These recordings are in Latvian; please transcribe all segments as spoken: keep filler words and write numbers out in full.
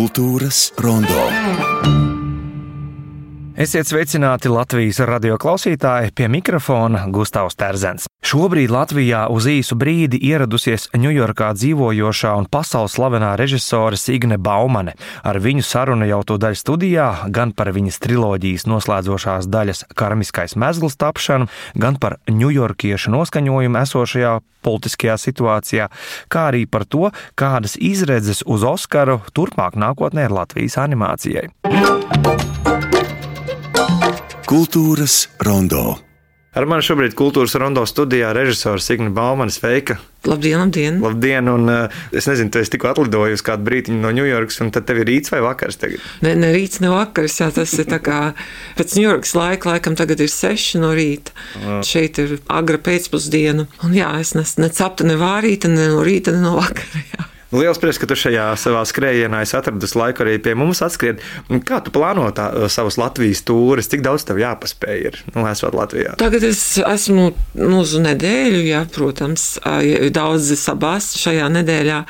Kultūras rondo. Esiet sveicināti Latvijas radio klausītāji, pie mikrofona Gustavs Terzens. Šobrīd Latvijā uz īsu brīdi ieradusies Ņujorkā dzīvojošā un pasaules slavenā režisore Signe Baumane. Ar viņu saruna jau tūdaļ studijā, gan par viņas triloģijas noslēdzošās daļas Karmiskais mezgls tapšanu, gan par ņujorkiešu noskaņojumu esošajā politiskajā situācijā, kā arī par to, kādas izredzes uz Oskaru turpmāk nākotnē ir Latvijas animācijai. Kultūras rondo. Ar mani šobrīd Kultūras rondo studijā režisora Signe Baumane. Sveika! Labdien, labdien! Labdien, un es nezinu, tu esi tikko atlidojusi kādu brītiņu no Ņujorkas, un tad tev ir rīts vai vakars tagad? Ne, ne rīts, ne vakars, jā, tas ir tā kā pēc Ņujorkas laika, laikam tagad ir seši no rīta. Jā. Šeit ir agra pēcpusdiena, un jā, es ne, ne cepta, ne vārīta, ne no rīta, ne no vakara, jā. Liels prieks, ka tu šajā savā skrējienā esi atradus laiku arī pie mums atskriet. Kā tu plāno tā, savus Latvijas tūres? Cik daudz tev jāpaspēj ir, nu, esot Latvijā? Tagad es esmu nu, uz nedēļu, jā, protams. Daudz sabās šajā nedēļā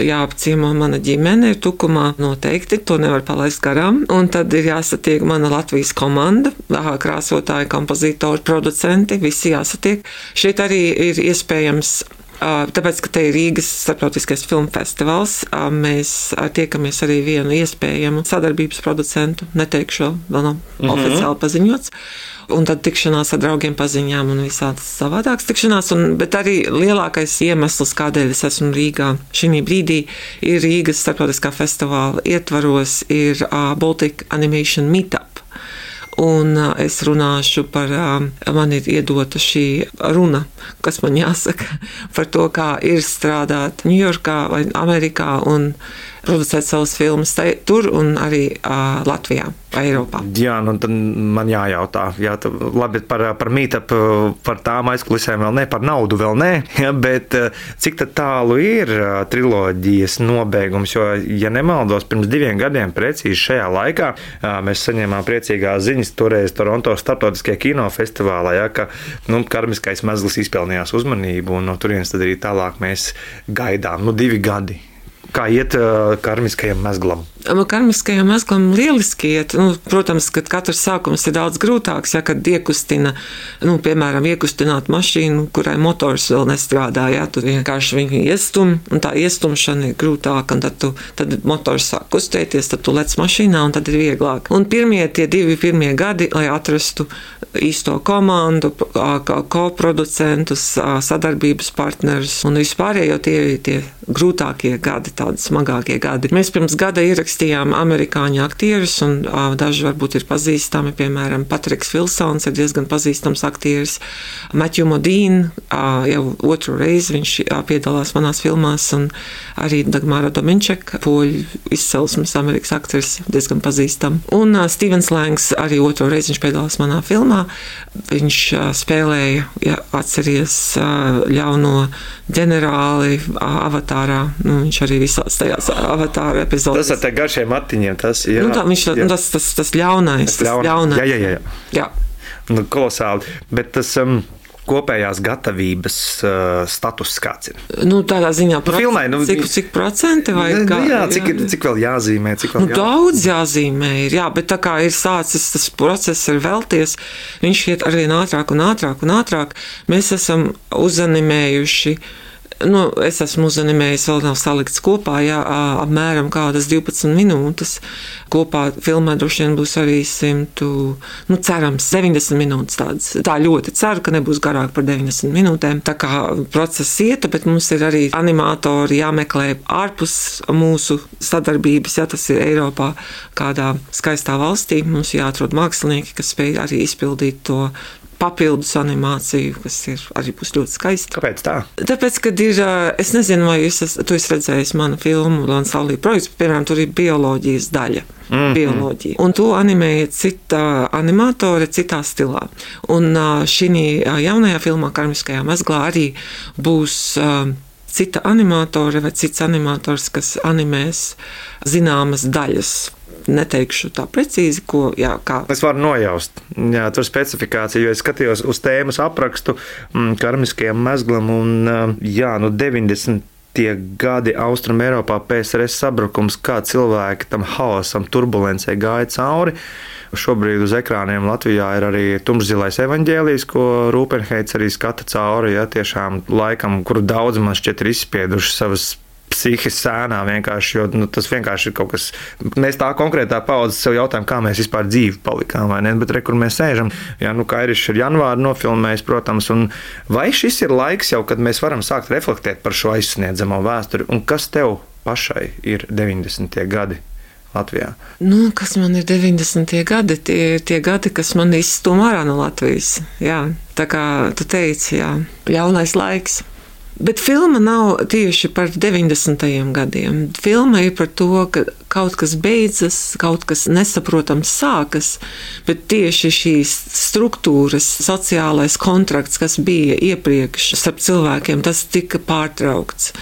jāapciemo mana ģimene, ir Tukumā noteikti, to nevar palaist garām. Un tad ir jāsatiek mana Latvijas komanda, krāsotāji, kompozitori, producenti, visi jāsatiek. Šeit arī ir iespējams. Tāpēc, ka te ir Rīgas starptautiskais filmu festivāls, mēs tiekamies arī vienu iespējamu sadarbības producentu, neteikšu, vēl nav mm-hmm. oficiāli paziņots, un tad tikšanās ar draugiem paziņām un visādas savādākas tikšanās, un, bet arī lielākais iemesls, kādēļ es esmu Rīgā šī brīdī, ir Rīgas starptautiskā festivāla ietvaros, ir uh, Baltic Animation Meetup. Un es runāšu par, man ir iedota šī runa, kas man jāsaka, par to, kā ir strādāt Ņujorkā vai Amerikā un producēt savus filmas tur un arī uh, Latvijā vai Eiropā. Jā, nu tad man jājautā, jā, labi par, par meetup, par tām aizkulisēm vēl ne, par naudu vēl ne, ja, bet cik tad tālu ir triloģijas nobeigums, jo, ja nemaldos, pirms diviem gadiem precīzi šajā laikā mēs saņēmām priecīgās ziņas toreiz Toronto starptautiskajā kinofestivālā, ja, ka nu, Karmiskais mezgls izpelnījās uzmanību un no turienes tad arī tālāk mēs gaidām, nu divi gadi. Kā iet uh, karmiskajam mezglam? Karmiskajam mezglam lieliski iet. Nu, protams, ka katrs sākums ir daudz grūtāks, ja, kad iekustina, nu, piemēram, iekustināt mašīnu, kurai motors vēl nestrādā, ja, tu vienkārši viņu iestum, un tā iestumšana ir grūtāka, un tad, tu, tad motors sāk kustēties, tad tu lec mašīnā, un tad ir vieglāk. Un pirmie, tie divi pirmie gadi, lai atrastu īsto komandu, koproducentus, sadarbības partnerus, un vispārējo tie ir tie grūtākie gadi, tādi smagākie gadi. Mēs pirms gada ierakstījām amerikāņu aktierus, un uh, daži varbūt ir pazīstami, piemēram, Patriks Vilsons ir diezgan pazīstams aktieris, Matthew Modine, uh, jau otru reizi viņš uh, piedalās manās filmās, un arī Dagmara Dominček, poļu izcelsmes Amerikas aktieris, diezgan pazīstam. Un uh, Stevens Langs arī otru reizi viņš piedalās manā filmā. Viņš uh, spēlēja, ja atceries, uh, ļauno ģenerāli uh, Avatārā. Nu, viņš arī visās tajās Avatāra epizodēs. Tas ar te garšiem matiņiem, tas ir. Nu, tā, viņš, tas, tas, tas ļaunais, tas ļaun... ļaunais. Jā, jā, jā. jā. Nu, kolosāli. Bet tas um, kopējās gatavības uh, status kāds ir? Nu, tādā ziņā, proc... filmai, nu, cik, cik procenti vai nu, kā? Jā, cik, ir, cik vēl jāzīmē, cik vēl nu, jāzīmē. Daudz jāzīmē ir, jā, bet tā kā ir sācis, tas process ir velties, viņš iet arvien ātrāk un ātrāk un ātrāk. Mēs esam uzanimējuši. Nu, es esmu uzanimējis, vēl nav salikts kopā, jā, apmēram kādas divpadsmit minūtes. Kopā filmā droši vien būs arī simtu, nu, cerams, deviņdesmit minūtes tādas. Tā ļoti ceru, ka nebūs garāk par deviņdesmit minūtēm. Tā kā process ieta, bet mums ir arī animatori jāmeklē ārpus mūsu sadarbības, ja tas ir Eiropā kādā skaistā valstī. Mums jāatrod mākslinieki, kas spēj arī izpildīt to papildus animāciju, kas ir arī būs ļoti skaisti. Kāpēc tā? Tāpēc, kad ir, es nezinu, vai jūs es, tu esi redzējis manu filmu Lansalī projekts, piemēram, tur ir bioloģijas daļa. Mm-hmm. Bioloģija. Un to animēja cita animatore citā stilā. Un šī jaunajā filmā Karmiskajā mezglā arī būs cita animatore vai cits animators, kas animēs zināmas daļas. Neteikšu tā precīzi, ko, jā, kā. Es varu nojaust, jā, tur specifikācija, jo es skatījos uz tēmas aprakstu mm, Karmiskajam mezglam un, jā, nu deviņdesmit tie gadi Austrum Eiropā, P S R S sabrukums, kā cilvēki tam haosam, turbulencei gāja cauri. Šobrīd uz ekrāniem Latvijā ir arī tumšzilais evaņģēlijs, ko Rūpenheits arī skata cauri, ja tiešām laikam, kuru daudz man šķiet ir izspieduši savas psihes sēnā vienkārši, jo nu, tas vienkārši ir kaut kas, mēs tā konkrētā paudze sev jautājam, kā mēs vispār dzīvi palikām, vai ne, bet re, kur mēs sēžam, jā, nu, Kairišs ir janvāri nofilmējis, protams, un vai šis ir laiks jau, kad mēs varam sākt reflektēt par šo aizsniedzamo vēsturi, un kas tev pašai ir deviņdesmitie gadi Latvijā? Nu, kas man ir deviņdesmitie gadi, tie ir tie gadi, kas man izstum ārā no Latvijas, jā, tā kā tu teici, jā, jaunais laiks. Bet filma nav tieši par deviņdesmitajiem gadiem. Filma ir par to, ka kaut kas beidzas, kaut kas nesaprotams sākas, bet tieši šīs struktūras, sociālais kontrakts, kas bija iepriekš starp cilvēkiem, tas tika pārtraukts.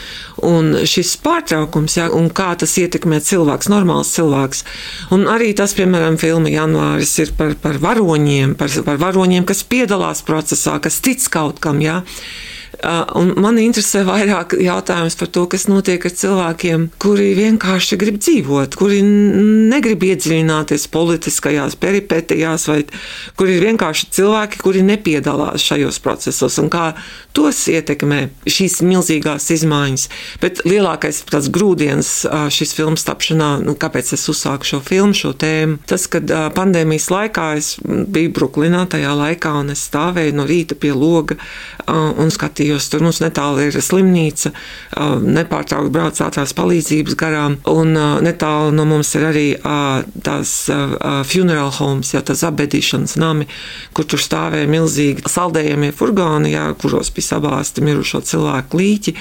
Un šis pārtraukums, jā, un kā tas ietekmē cilvēks, normāls cilvēks. Un arī tas, piemēram, filma Janvāris ir par, par varoņiem, par, par varoņiem, kas piedalās procesā, kas tic kaut kam, jā. Un man interesē vairāk jautājums par to, kas notiek ar cilvēkiem, kuri vienkārši grib dzīvot, kuri negrib iedziļināties politiskajās peripetijās, vai kuri ir vienkārši cilvēki, kuri nepiedalās šajos procesos, un kā tos ietekmē šīs milzīgās izmaiņas. Bet lielākais tāds grūdienis šis filmas tapšanā, nu, kāpēc es uzsāku šo filmu, šo tēmu, tas, kad pandēmijas laikā es biju Bruklinā tajā laikā, un es stāvēju no rīta pie loga un skatījos. Tur mums netālu ir slimnīca, nepārtraukti brauc ātrās palīdzības garām, un netālu no mums ir arī tās funeral homes, jā, tās apbedīšanas nami, kur tur stāvēja milzīgi saldējamie furgoni, jā, kuros bija sabāsti mirušo cilvēku līķi.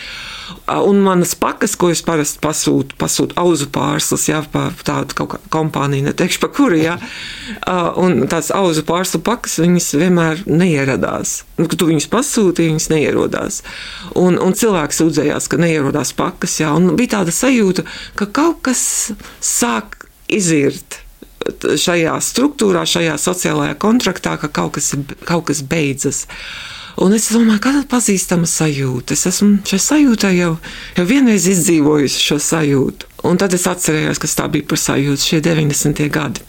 Un manas pakas, ko es parasti pasūtu, pasūtu auzu pārslas, jā, pa tādu kaut kā kompāniju, neteikšu pa kuri, jā. Un tās auzu pārslu pakas, viņas vienmēr neieradās. Nu, kad tu viņas pasūti, viņas neierodās. Un, un cilvēks sūdzējās, ka neierodās pakas, jā. Un bija tāda sajūta, ka kaut kas sāk izirt šajā struktūrā, šajā sociālajā kontraktā, ka kaut kas, kaut kas beidzas. Un es domāju, kāda pazīstama sajūta. Es esmu šai sajūtai jau, jau vienreiz izdzīvojusi šo sajūtu. Un tad es atcerējos, kas tā bija par sajūtu šie deviņdesmitie gadi.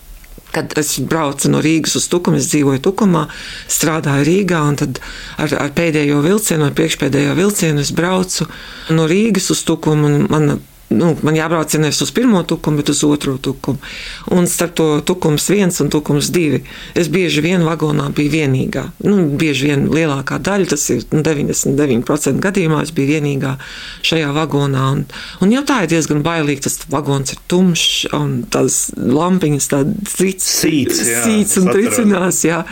Kad es braucu no Rīgas uz Tukumu, es dzīvoju Tukumā, strādāju Rīgā, un tad ar, ar pēdējo vilcienu, ar priekšpēdējo vilcienu es braucu no Rīgas uz Tukumu, un man Nu, man jābrauc nevis uz pirmo Tukumu, bet uz otro Tukumu. Un starp to Tukums viens un Tukums divi es bieži vien vagonā biju vienīgā. Nu, bieži vien lielākā daļa, tas ir nu, deviņdesmit deviņi procenti gadījumā, es biju vienīgā šajā vagonā. Un, un jau tā ir diezgan bailīgi, tas vagons ir tumšs, un tās lampiņas tādas Sīts, jā, sīts un tricinās, jā.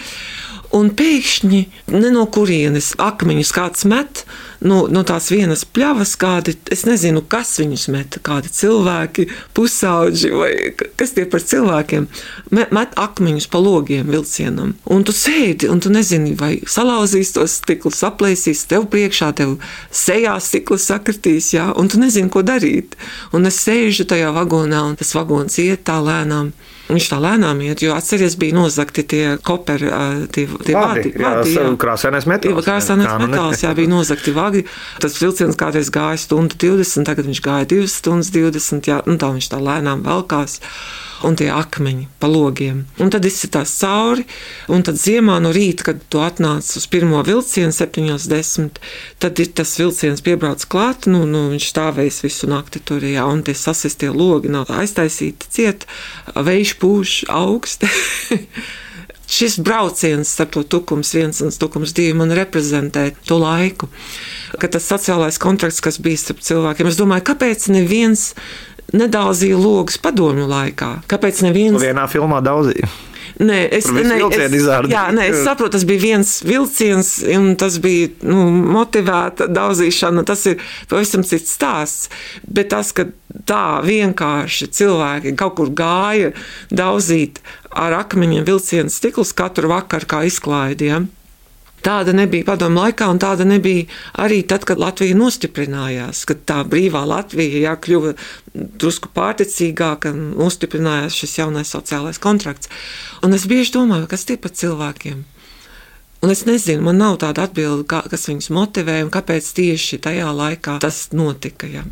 Un pēkšņi, ne no kurienes, akmeņus kāds met, no, no tās vienas pļavas kādi, es nezinu, kas viņus met, kādi cilvēki, pusauģi vai kas tie par cilvēkiem, met, met akmeņus pa logiem vilcienam. Un tu sēdi, un tu nezini, vai salauzīs tos stiklus, aplēsīs tev priekšā, tev sejā stiklus sakritīs, jā, un tu nezini, ko darīt. Un es sēžu tajā vagonā, un tas vagons iet tā lēnām. Viņš tā lēnām iet, jo atceries bija nozagti tie koperi, tie, tie vādi. Jā, krāsainais metāls. Krāsainais metāls, jā, bija nozagti vagi. Tas vilciens kādreiz gāja stundu divdesmit, tagad viņš gāja divas stundas divdesmit, jā, un tā viņš tā lēnām velkās. Un tie akmeņi pa logiem. Un tad izsitās cauri, un tad ziemā no rīta, kad tu atnāc uz pirmo vilcienu, septiņos desmit, tad ir tas vilciens piebrauc klāt, nu, nu viņš stāvēs visu nakti tur, jā, un tie sasistie logi nav aiztaisīti ciet, vējš pūš augsti. Šis brauciens starp to Tukums viens un Tukums divi man reprezentē to laiku, ka tas sociālais kontrakts, kas bija starp cilvēkiem, es domāju, kāpēc neviens nedauzīja logus padomju laikā. Kāpēc neviens... Vienā filmā daudzīja. Nē, es, ne, es, jā, nē, es saprotu, tas bija viens vilciens, un tas bija nu, motivēta daudzīšana, tas ir pavisam cits stāsts. Bet tas, ka tā vienkārši cilvēki kaut kur gāja daudzīt ar akmeņiem vilcienu stiklus katru vakaru kā izklaidi, ja? Tāda nebija padomu laikā, un tāda nebija arī tad, kad Latvija nostiprinājās, kad tā brīvā Latvija jā, kļuva drusku pārticīgāka un nostiprinājās šis jaunais sociālais kontrakts. Un es bieži domāju, kas tie par cilvēkiem? Un es nezinu, man nav tāda atbilde, kā, kas viņus motivē un kāpēc tieši tajā laikā tas notika. Ja.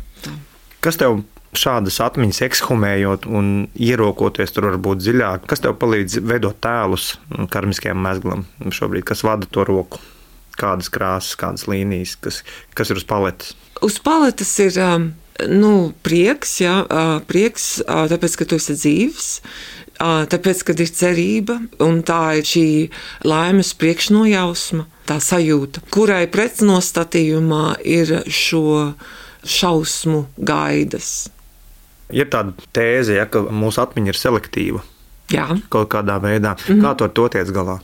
Kas tev šādas atmiņas ekshumējot un ierokoties tur varbūt dziļāk, kas tev palīdz veidot tēlus karmiskajam mezglam šobrīd, kas vada to roku? Kādas krāsas, kādas līnijas, kas, kas ir uz paletes? Uz paletes ir nu, prieks, jā, prieks, tāpēc, ka tu esi dzīvs. Tāpēc, kad ir cerība, un tā ir šī laimes priekšnojausma, tā sajūta, kurai pretnostatījumā ir šo šausmu gaidas. Ir tāda tēze, ja, ka mūsu atmiņa ir selektīva. Jā. Kaut kādā veidā. Mm-hmm. Kā tu ar to tiec galā?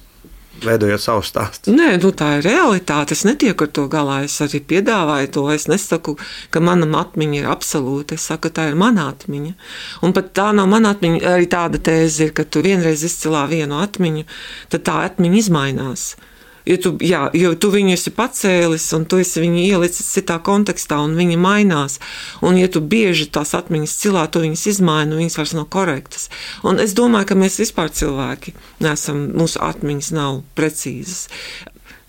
Veidojot savu stāstu. Nē, nu tā ir realitāte. Es netieku ar to galā. Es arī piedāvāju to. Es nesaku, ka mana atmiņa ir absolūta. Es saku, ka tā ir mana atmiņa. Un pat tā nav mana atmiņa. Arī tāda tēze ir, ka tu vienreiz izcilā vienu atmiņu, tad tā atmiņa izmainās. Jo tu, jā, jo tu viņu esi pacēlis un tu esi viņu ielicis citā kontekstā un viņi mainās. Un ja tu bieži tās atmiņas cilā, tu viņas izmaini un viņas vairs nav korektas. Un es domāju, ka mēs vispār cilvēki neesam, mūsu atmiņas nav precīzas.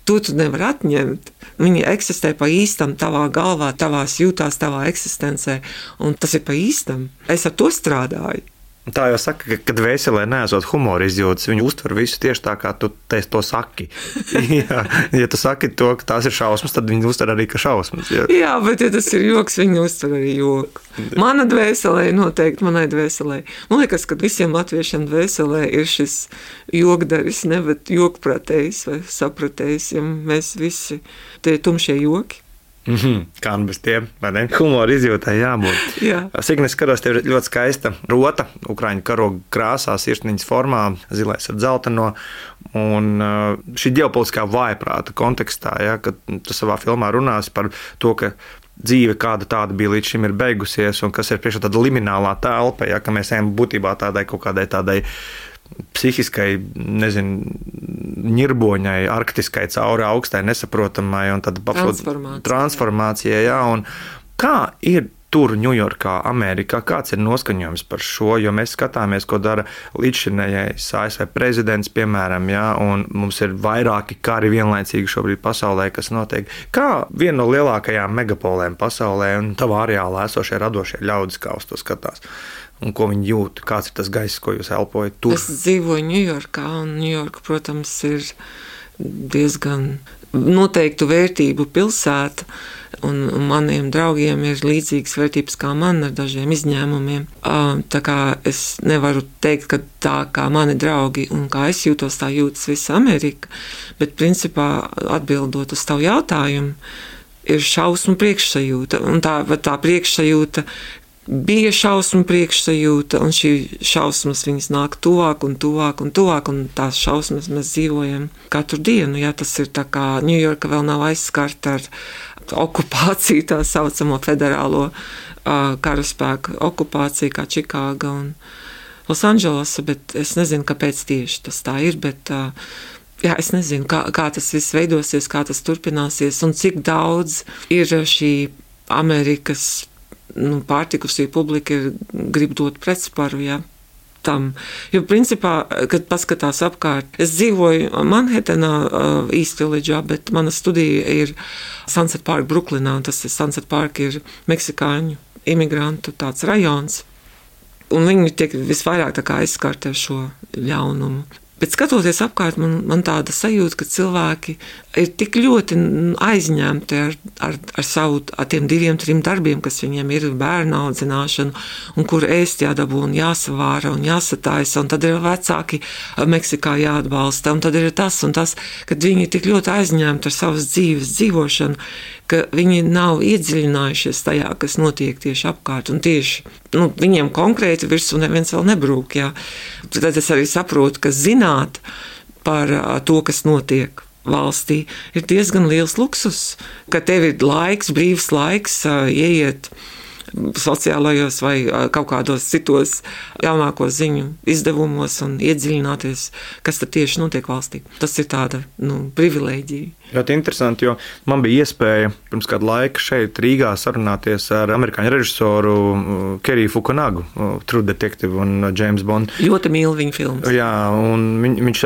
To tu nevar atņemt. Viņi eksistē pa īstam tavā galvā, tavās jūtās, tavā eksistencē. Un tas ir pa īstam. Es ar to strādāju. Tā jau saka, ka, kad vēselē neesot humora izjūtas, viņi uztver visu tieši tā, kā tu to saki. Jā, ja tu saki to, ka tās ir šausmas, tad viņi uztver arī, ka šausmas. Jā, jā, bet ja tas ir joks, viņi uztver arī joku. Mana dvēselē noteikti, manai dvēselē. Man liekas, ka visiem latviešiem dvēselē ir šis jokdaris, ne, bet jokpratējs vai sapratējs, ja mēs visi tie tumšie joki. Mm-hmm. Kā nu bez tiem, vai ne? Humora izjūtai jābūt. Jā. Signe, skatos, tev ir ļoti skaista rota, ukraiņu karoga krāsā, sirsniņas formā, zilais ar dzelteno. Un šī ģeopolitiskā vājprāta kontekstā, ja, kad tu savā filmā runāsi par to, ka dzīve kāda tāda bija līdz šim ir beigusies un kas ir priekšā tāda liminālā telpa, ja, ka mēs ejam būtībā tādai kaut kādai tādai psihiskai, nezinu, ņirboņai, arktiskai, cauri augstai, nesaprotamai un tad transformācija. transformācijai, jā, un kā ir tur Ņujorkā, Amerikā, kāds ir noskaņojums par šo, jo mēs skatāmies, ko dara līdzšinējais A S V prezidents, piemēram, jā, un mums ir vairāki kari vienlaicīgi šobrīd pasaulē, kas notiek. Kā viena no lielākajām megapolēm pasaulē un tavā areālā esošie radošie ļaudis, kā uz to skatās? Un ko viņi jūt, kāds ir tas gaiss, ko jūs elpojat tur? Es dzīvoju Ņujorkā, un Ņujorka, protams, ir diezgan noteiktu vērtību pilsēta, un maniem draugiem ir līdzīgas vērtības kā man ar dažiem izņēmumiem. Tā kā es nevaru teikt, ka tā kā mani draugi un kā es jūtos, tā jūtas visa Amerika, bet principā atbildot uz tavu jautājumu, ir šausmu priekšsajūta, un tā, tā priekšsajūta bija šausmu priekšsajūta, un šī šausmas viņas nāk tuvāk un tuvāk un tuvāk, un tās šausmas mēs dzīvojam katru dienu. Jā, tas ir tā kā Ņujorka vēl nav aizskarta ar okupāciju, tā saucamo federālo uh, karaspēku okupāciju, kā Čikāga un Losandželasa, bet es nezinu, kāpēc tieši tas tā ir, bet uh, jā, es nezinu, kā, kā tas viss veidosies, kā tas turpināsies, un cik daudz ir šī Amerikas nu, pārtikusī publika ir grib dot pretsparu, jā, tam. Jo principā, kad paskatās apkārt, es dzīvoju Manhetenā, uh, East Village'ā, bet mana studija ir Sunset Park, Bruklinā, un tas ir Sunset Park ir meksikāņu imigrantu tāds rajons, un viņi tiek visvairāk tā kā aizskārti ar šo ļaunumu. Bet skatoties apkārt, man, man tāda sajūta, ka cilvēki ir tik ļoti aizņemti ar, ar, ar savu, ar tiem diviem, trim darbiem, kas viņiem ir bērnu audzināšana, un kur ēst jādabū un jāsavāra un jāsataisa, un tad ir vecāki Meksikā jāatbalsta, un tad ir tas un tas, kad viņi ir tik ļoti aizņemti ar savas dzīves dzīvošanu, ka viņi nav iedziļinājušies tajā, kas notiek tieši apkārt, un tieši nu, viņiem konkrēti virsū neviens vēl nebrūk. Jā. Tad es arī saprotu, ka zināt par to, kas notiek valstī, ir diezgan liels luksus, ka tev ir laiks, brīvs laiks, ieiet sociālajos vai kaut kādos citos jaunākos ziņu izdevumos un iedziļināties, kas tad tieši notiek valstī. Tas ir tāda, nu, privilēģija. Ļoti interesanti, jo man bija iespēja pirms kādu laiku šeit Rīgā sarunāties ar amerikāņu režisoru Keriju Fukunagu, True Detective un James Bond. Ļoti mīlu viņa filmas. Jā, un viņ, viņš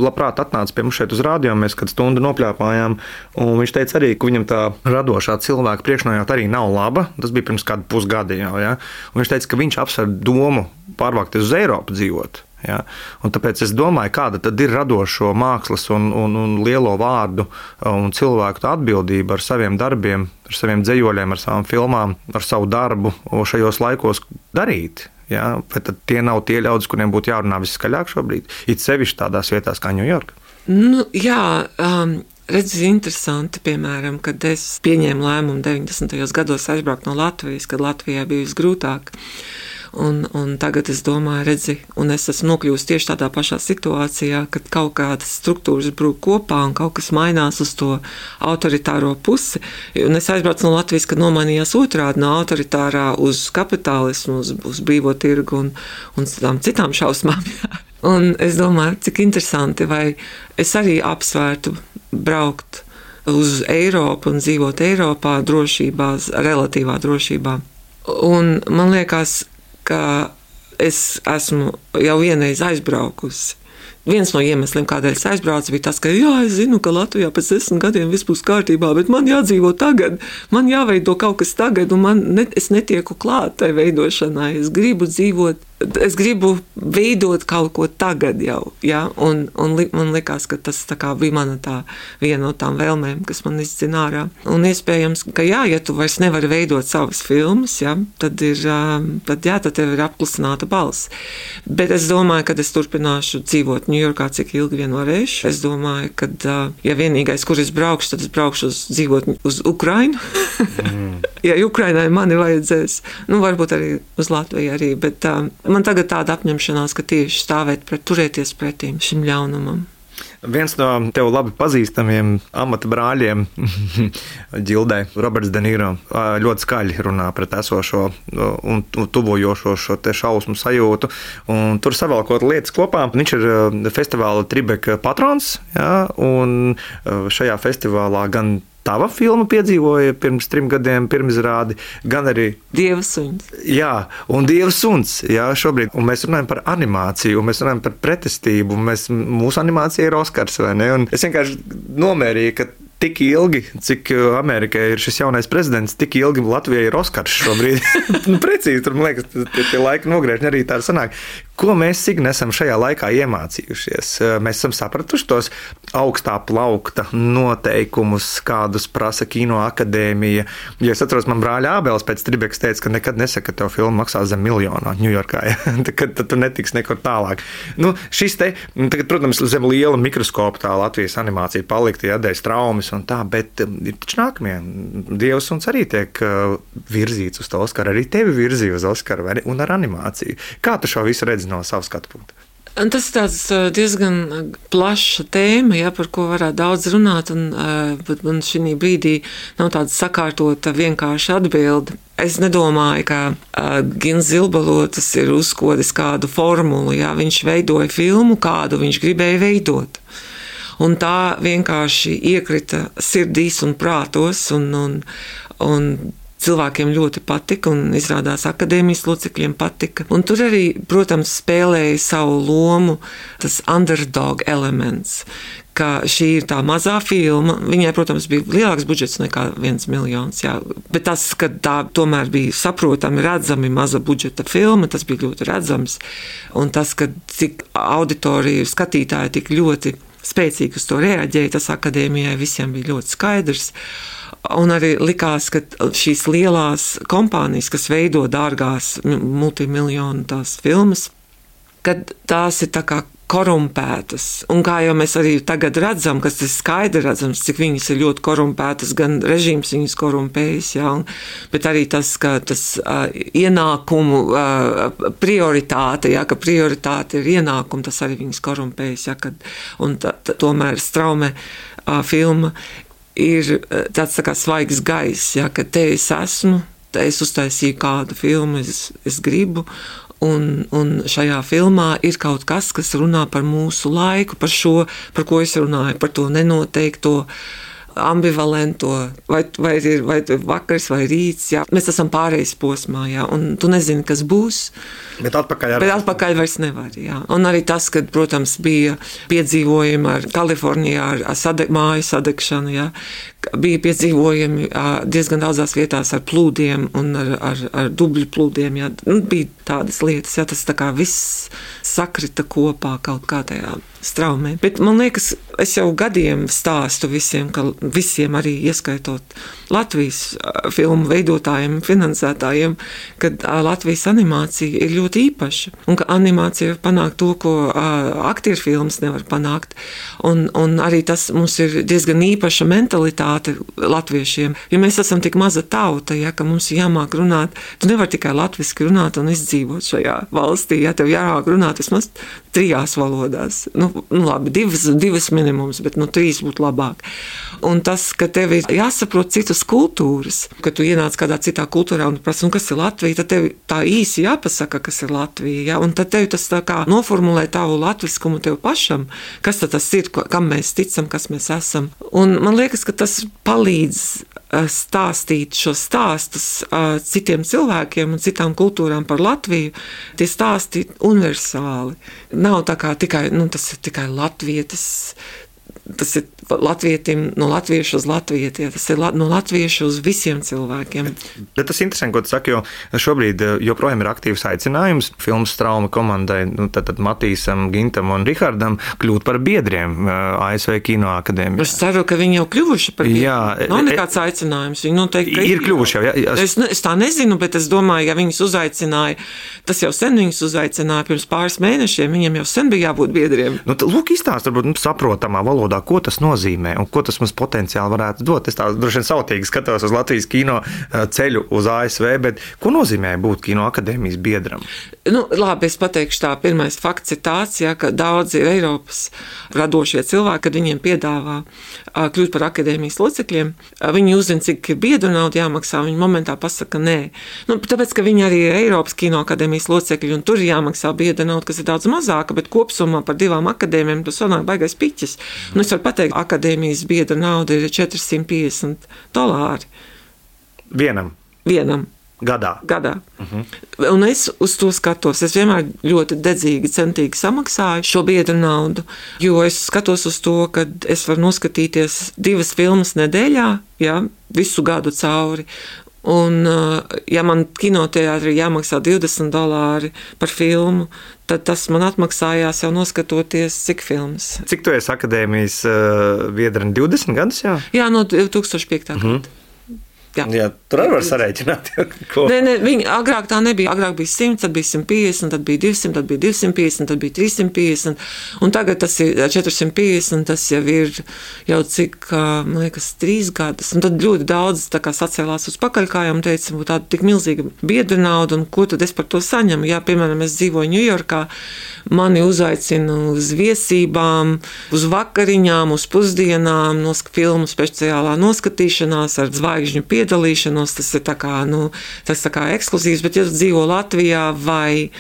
labprāt atnāca pie mums šeit uz rādio, mēs kādu stundu nopļāpājām, un viņš teica arī, ka viņam tā radošā cilvēka priekšnojauta arī nav laba. Tas bija pirms kādu pusgada jau, ja? Un viņš teica, ka viņš apsver domu pārvākties uz Eiropu dzīvot. Ja? Un tāpēc es domāju, kāda tad ir radošo mākslas un, un, un lielo vārdu un cilvēku atbildība ar saviem darbiem, ar saviem dzējoļiem, ar savām filmām, ar savu darbu šajos laikos darīt. Ja? Bet tad tie nav tie ļaudis, kuriem būtu jārunā viskaļāk šobrīd, it sevišķi tādās vietās kā Ņujorka. Nu, jā, um... redzi, interesanti, piemēram, kad es pieņēmu lēmumu deviņdesmitajos gados aizbraukt no Latvijas, kad Latvijā bija visgrūtāk. Un, un tagad es domāju, redzi, un es esmu nokļuvusi tieši tādā pašā situācijā, kad kaut kādas struktūras brūk kopā un kaut kas mainās uz to autoritāro pusi. Un es aizbraucu no Latvijas, kad nomainījās otrādi no autoritārā uz kapitālismu, uz, uz brīvo tirgu un, un tām citām šausmām. Un es domāju, cik interesanti, vai es arī apsvērtu braukt uz Eiropu un dzīvot Eiropā drošībā, relatīvā drošībā. Un man liekas, ka es esmu jau vienreiz aizbraukusi. Viens no iemesliem, kādēļ es aizbraucu, bija tas, ka jā, es zinu, ka Latvijā pēc desmit gadiem viss būs kārtībā, bet man jādzīvo tagad, man jāveido kaut kas tagad, un man ne, es netieku klāt tai veidošanai. Es gribu dzīvot, es gribu veidot kaut ko tagad jau, ja? un, un li, man likās, ka tas tā kā bija mana tā viena no tām vēlmēm, kas man izdzina ārā. Un iespējams, ka jā, ja tu vairs nevari veidot savas filmas, ja, tad ir, tad jā, tad tev ir apklusināta balss. Bet es domāju, ka es turpināšu dzīvot Ņujorkā, cik ilgi vien varēšu. Es domāju, ka, ja vienīgais, kur es braukšu, tad es braukšu uz dzīvot uz Ukrainu. Mm. Ja Ukrainai mani vajadzēs, nu varbūt arī uz Latviju arī, bet uh, man tagad tāda apņemšanās, ka tieši stāvēt pret, turēties pretīm šim ļaunumam. Viens no tev labi pazīstamiem amata brāļiem, Ģildai, Roberts De Niro, ļoti skaļi runā pret esošo un tuvojošo šo te šausmu sajūtu. Un tur savalkot lietas kopā, viņš ir festivāla Tribeca patrons, ja, un šajā festivālā gan tava filma piedzīvoja pirms trim gadiem pirmizrādi, gan arī Dieva suns. Jā, un Dieva suns, jā, šobrīd. Un mēs runājam par animāciju, un mēs runājam par pretestību, un mēs, mūsu animācija ir Oskars, vai ne? Un es vienkārši nomērīju, ka tik ilgi, cik Amerikai ir šis jaunais prezidents, tik ilgi Latvijai ir Oskars šobrīd. nu, precīzi, tur, man liekas, tie, tie laika nogriežņi arī tā sanāk. Ko mēs, Signe, esam šajā laikā iemācījušies? Mēs esam sapratuši tos augstā plaukta noteikumus, kādus prasa Kino akadēmija. Ja es atceros, man brāļa Ābels pēc Tribecas teica, ka nekad nesaka, ka tev filma maksā zem miljonā Ņujorkā, ja? tad, tad tu netiks nekur tālāk. Nu, šis te, tagad, protams, zem liela mikroskopa tā Latvijas animācija palikta, ja, dēļ traumas un tā, bet ir taču nākamie. Dievs suns arī tiek virzīts uz to Oskaru, arī tevi virzīja uz Oskaru, vai ne? Un ar animāciju. Kā tu šo visu redzi no savas skatu punkta? Tas ir tāds diezgan plaša tēma, ja, par ko varētu daudz runāt, un, bet man šī brīdī nav tāda sakārtota vienkārša atbilde. Es nedomāju, ka uh, Gins Zilbalotis ir uzkodis kādu formulu, ja, viņš veidoja filmu, kādu viņš gribēja veidot. Un tā vienkārši iekrita sirdīs un prātos, un, un, un cilvēkiem ļoti patika, un izrādās akadēmijas locekļiem patika. Un tur arī, protams, spēlēja savu lomu tas underdog elements, ka šī ir tā mazā filma. Viņai, protams, bija lielāks budžets nekā viens miljons, jā. Bet tas, ka tā tomēr bija saprotami, redzami maza budžeta filma, tas bija ļoti redzams. Un tas, ka cik auditorija, skatītāji tik ļoti spēcīgi uz to reaģēja, tas akadēmijai visiem bija ļoti skaidrs. Un arī likās, ka šīs lielās kompānijas, kas veido dārgās multimiljonu tās filmas, kad tās ir tā kā korumpētas. Un kā jau mēs arī tagad redzam, kas ir skaidri redzams, cik viņas ir ļoti korumpētas, gan režīms viņas korumpējas, jā, un, bet arī tas, ka tas uh, ienākumu uh, prioritāte, jā, ka prioritāte ir ienākumu, tas arī viņas korumpējas, jā, kad, un tā, tā, tomēr Straume uh, filma ir tāds tā kā svaigs gaiss, ja, ka te es esmu, es uztaisīju kādu filmu, es, es gribu. Un, un šajā filmā ir kaut kas, kas runā par mūsu laiku, par šo, par ko es runāju, par to nenoteikto, ambivalento, vai, vai ir vai vakars vai rīts. Jā. Mēs esam pārejas posmā, jā, un tu nezini, kas būs. Bet atpakaļ, ar... Bet atpakaļ vairs nevar. Jā. Un arī tas, kad, protams, bija piedzīvojumi ar Kalifornijā, ar, ar sade, māju sadegšanu, jā. Bija piedzīvojumi diezgan daudzās vietās ar plūdiem un ar, ar, ar dubļu plūdiem. Jā. Nu, bija tādas lietas, jā, tas tā kā viss sakrita kopā kaut kā tajā straumē. Bet man liekas, es jau gadiem stāstu visiem, ka visiem arī ieskaitot Latvijas filmu veidotājiem, finansētājiem, kad Latvijas animācija ir ļoti īpaša un ka animācija var panākt to, ko aktieru filmas nevar panākt. Un, un arī tas mums ir diezgan īpaša mentalitāte latviešiem, jo mēs esam tik maza tauta, ja, ka mums ir jāmāk runāt. Tu nevar tikai latviski runāt un izdzīvot šajā valstī, ja tev jārāk runāt vismaz trijās valodās. Nu, nu labi, divas, divas minimums, bet nu trīs būtu labāk. Un tas, ka tev ir jāsaprot citas kultūras, ka tu ienāc kādā citā kultūrā un prasa, un kas ir Latvija, tad tev tā īsi jāpasaka, kas ir Latvija, ja? Un tad tev tas tā kā noformulē tavu latviskumu tev pašam, kas tad tas ir, kam mēs ticam, kas mēs esam. Un man liekas, ka tas palīdz stāstīt šos stāstus uh, citiem cilvēkiem un citām kultūrām par Latviju, tie stāsti universāli. Nav tā kā tikai, nu, tas ir tikai latvietis, tas ir latvietim, no latviešu uz latvieti, tas ir no latviešu uz visiem cilvēkiem. Bet tas ir interesanti, ko tu saki, jo šobrīd joprojām ir aktīvs aicinājums filmas Strauma komandai, nu, tad, tad Matīsam, Gintam un Rihardam kļūt par biedriem A S V Kino akadēmijā. Es ceru, ka viņi jau kļuvuši par biedriem. Jā, nav nekāds aicinājums. Viņi noteikti ir, ir kļuvuši jau. Jā, es, es tā nezinu, bet es domāju, ja viņus uzaicināja, tas jau sen viņus uzaicināja pirms pāris mēnešiem, viņiem jau sen bija jābūt biedriem. Nu, lūk, izstāst, varbūt, nu, saprotamā valodā, ko tas nozīmē un ko tas mums potenciāli varētu dot. Es tā droši vien sautīgi skatos uz Latvijas kino ceļu uz A S V, bet ko nozīmē būt kino akadēmijas biedram? Nu, labi, es pateikšu tā, pirmais fakts ir tāds, ja, ka daudzi Eiropas radošie cilvēki, kad viņiem piedāvā kļūt par akadēmijas locekļiem, viņi uzzina, cik biedru naudu jāmaksā, viņi momentā pasaka nē. Nu, tāpēc, ka viņi arī ir Eiropas kino akadēmijas locekļi, un tur ir jāmaksā biedru naudu, kas ir daudz mazāka, bet kopsumā par divām akadēmijām tas sanāk baigais piķis. Nu, es varu pateikt, akadēmijas biedra nauda ir četri simti piecdesmit dolāri. Vienam? Vienam. Gadā? Gadā. Uh-huh. Un es uz to skatos. Es vienmēr ļoti dedzīgi, centīgi samaksāju šo biedru naudu, jo es skatos uz to, ka es varu noskatīties divas filmas nedēļā, ja, visu gadu cauri. Un, ja man kinoteātrī jāmaksā divdesmit dolāri par filmu, tad tas man atmaksājās jau noskatoties, cik filmas. Cik tu esi akadēmijas uh, biedra? divdesmit gadus, jā? Jā, no divi tūkstoši piekta Mhm. gada. Jā. Jā, tur arī var sarēķināt. Ko? Nē, nē, viņi agrāk tā nebija. Agrāk bija simts, tad bija simt piecdesmit, tad bija divsimt, tad bija divsimt piecdesmit, tad bija trīssimt piecdesmit. Un tagad tas ir četrsimt piecdesmit, tas jau ir jau cik, man liekas, trīs gadus. Un tad ļoti daudz tā kā sacēlās uz pakaļkājām un teica, būtu tāda tik milzīga biedra nauda, un ko tad es par to saņemu? Jā, piemēram, es dzīvoju Ņujorkā, mani uzaicina uz viesībām, uz vakariņām, uz pusdienām, no filmu speciālā noskatīšanās ar zvaigžņu piedalīšanos, tas ir tā kā, nu, tas tā kā ekskluzīvs, bet ja tu dzīvo Latvijā vai,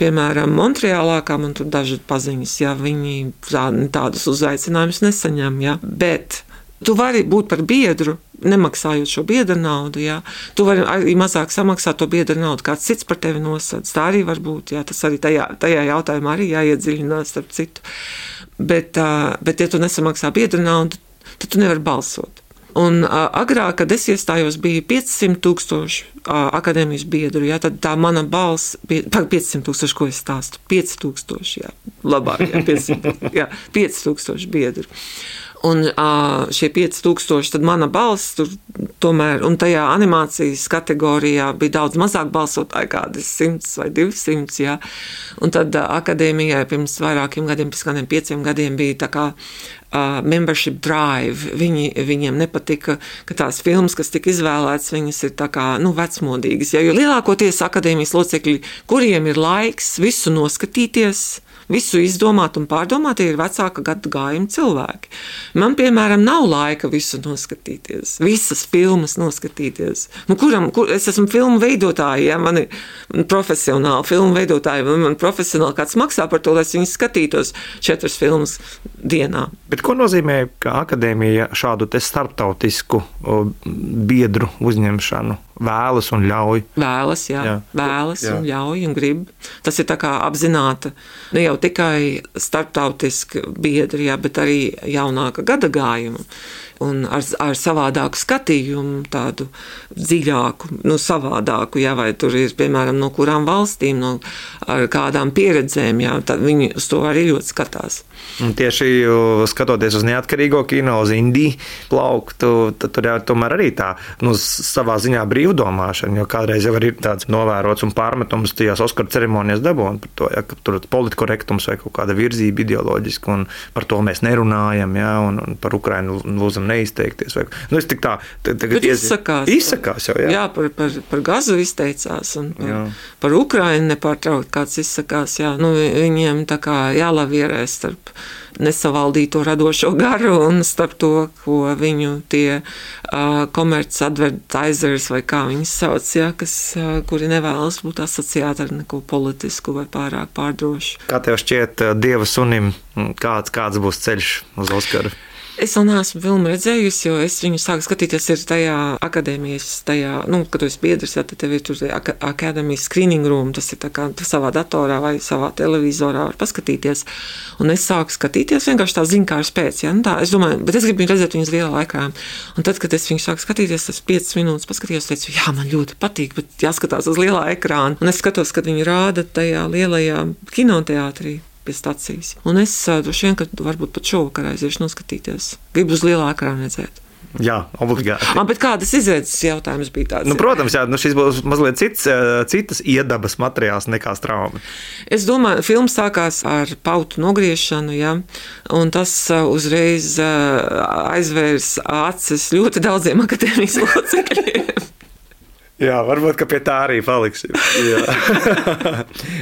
piemēram, Montreālā, kā man tur daži paziņas, ja viņi tā, tādus uzaicinājumus nesaņem, ja, bet tu vari būt par biedru, nemaksājot šo biedra naudu, jā. Tu vari arī mazāk samaksāt to biedra naudu, kāds cits par tevi nosadz. Tā arī var būt, jā. Tas arī tajā, tajā jautājumā arī jāiedziļinās starp citu. Bet, bet ja tu nesamaksā biedra naudu, tad tu nevari balsot. Un uh, agrāk, kad es iestājos, bija piecsimt tūkstoši uh, akadēmijas biedru, jā, tad tā mana balss bija, piecsimt tūkstoši, ko es stāstu, pieci tūkstoši, jā, labāk, jā, piecsimt, jā, pieci tūkstoši biedru. Un uh, šie pieci tūkstoši, tad mana balss tur tomēr, un tajā animācijas kategorijā bija daudz mazāk balsotāji, kādi simts vai divsimts, jā. Un tad uh, akadēmijai pirms vairākiem gadiem, pirms kādiem pieciem gadiem bija tā kā uh, membership drive. Viņi, viņiem nepatika, ka tās filmas, kas tika izvēlētas, viņas ir tā kā, nu, vecmodīgas. Ja, jo lielākoties akadēmijas locekļi, kuriem ir laiks visu noskatīties, visu izdomāt un pārdomāt, tie ir vecāka gadu gājuma cilvēki. Man, piemēram, nav laika visu noskatīties, visas filmas noskatīties. Nu, kuram, kur, es esmu filmu veidotāji, ja, man ir profesionāli filmu veidotāji, man, man profesionāli kāds maksā par to, lai es viņus skatītos četras filmas dienā. Bet ko nozīmē, ka akadēmija šādu te starptautisku biedru uzņemšanu vēlas un ļauj? Vēlas, jā, jā. vēlas jā. un ļauj un grib. Tas ir tā kā apzināta, ne jau tikai starptautiski biedri, jā, bet arī jaunāka gada gājuma. Un ar, ar savādāku skatījumu, tādu dziļāku, nu, savādāku, jā, vai tur ir, piemēram, no kurām valstīm, no ar kādām pieredzēm, jā, tad viņi uz to arī ļoti skatās. Un tieši skatoties uz neatkarīgo kino, uz indiju plauktu, tad tur jau tomēr arī tā, nu, savā ziņā brīvdomāšana, jo kādreiz jau ir tāds novērots un pārmetums tajās Oskara ceremonijas dabūn par to, ja, ka tur politkorektums vai kaut kāda virzība ideoloģiska, un par to mēs nerunājam, ja, un, un par Ukrainu lūdzam neizteikties. Vai, nu, es tik tā, tagad izsakās. Izsakās jau, jā. Jā, par, par, par gazu izteicās, un par, par Ukrainu nepārtraukt kāds izsakās, jā. Nu, viņiem tā kā jālavierē starp nesavaldīto radošo garu un starp to, ko viņu tie uh, komerc advertisers vai kā viņus sauc, ja, kas, uh, kuri nevēlas būt asociēti ar neko politisku vai pārāk pārdrošu. Kā tev šķiet Dieva sunim, kāds, kāds būs ceļš uz Oskaru? Es vēl neesmu filmu redzējusi, jo es viņu sāku skatīties ir tajā akadēmijas, tajā, nu, kad tu esi biedrs, ja, tad tev ir tur akadēmijas screening room, tas ir tā kā savā datorā vai savā televizorā var paskatīties. Un es sāku skatīties vienkārši tā ziņkārs pēc, ja, nu tā, es domāju, bet es gribu viņu redzēt viņas lielā ekrānā. Un tad, kad es viņu sāku skatīties, tas piecas minūtes paskatījos, teicu, jā, man ļoti patīk, bet jāskatās uz lielā ekrāna. Un es skatos, kad viņi rāda tajā lielajā kinoteātrī pie stacijas. Un es droši vien, ka varbūt pat šovakar aiziešu noskatīties. Gribu uz lielā ekrāna redzēt. Jā, obligāti. Ah, bet kādas izredzes jautājums bija tāds? Nu, protams, jā, nu šis būs mazliet cits, citas iedabas materiāls nekā Straumi. Es domāju, filma sākās ar pautu nogriešanu, jā, un tas uzreiz aizvērs acis ļoti daudziem akadēmijas locekļiem. Jā, varbūt, ka pie tā arī paliksim.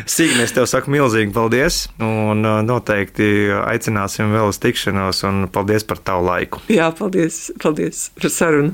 Signe, es tev saku milzīgi paldies, un noteikti aicināsim vēl uz tikšanos, un paldies par tavu laiku. Jā, paldies, paldies par sarunu.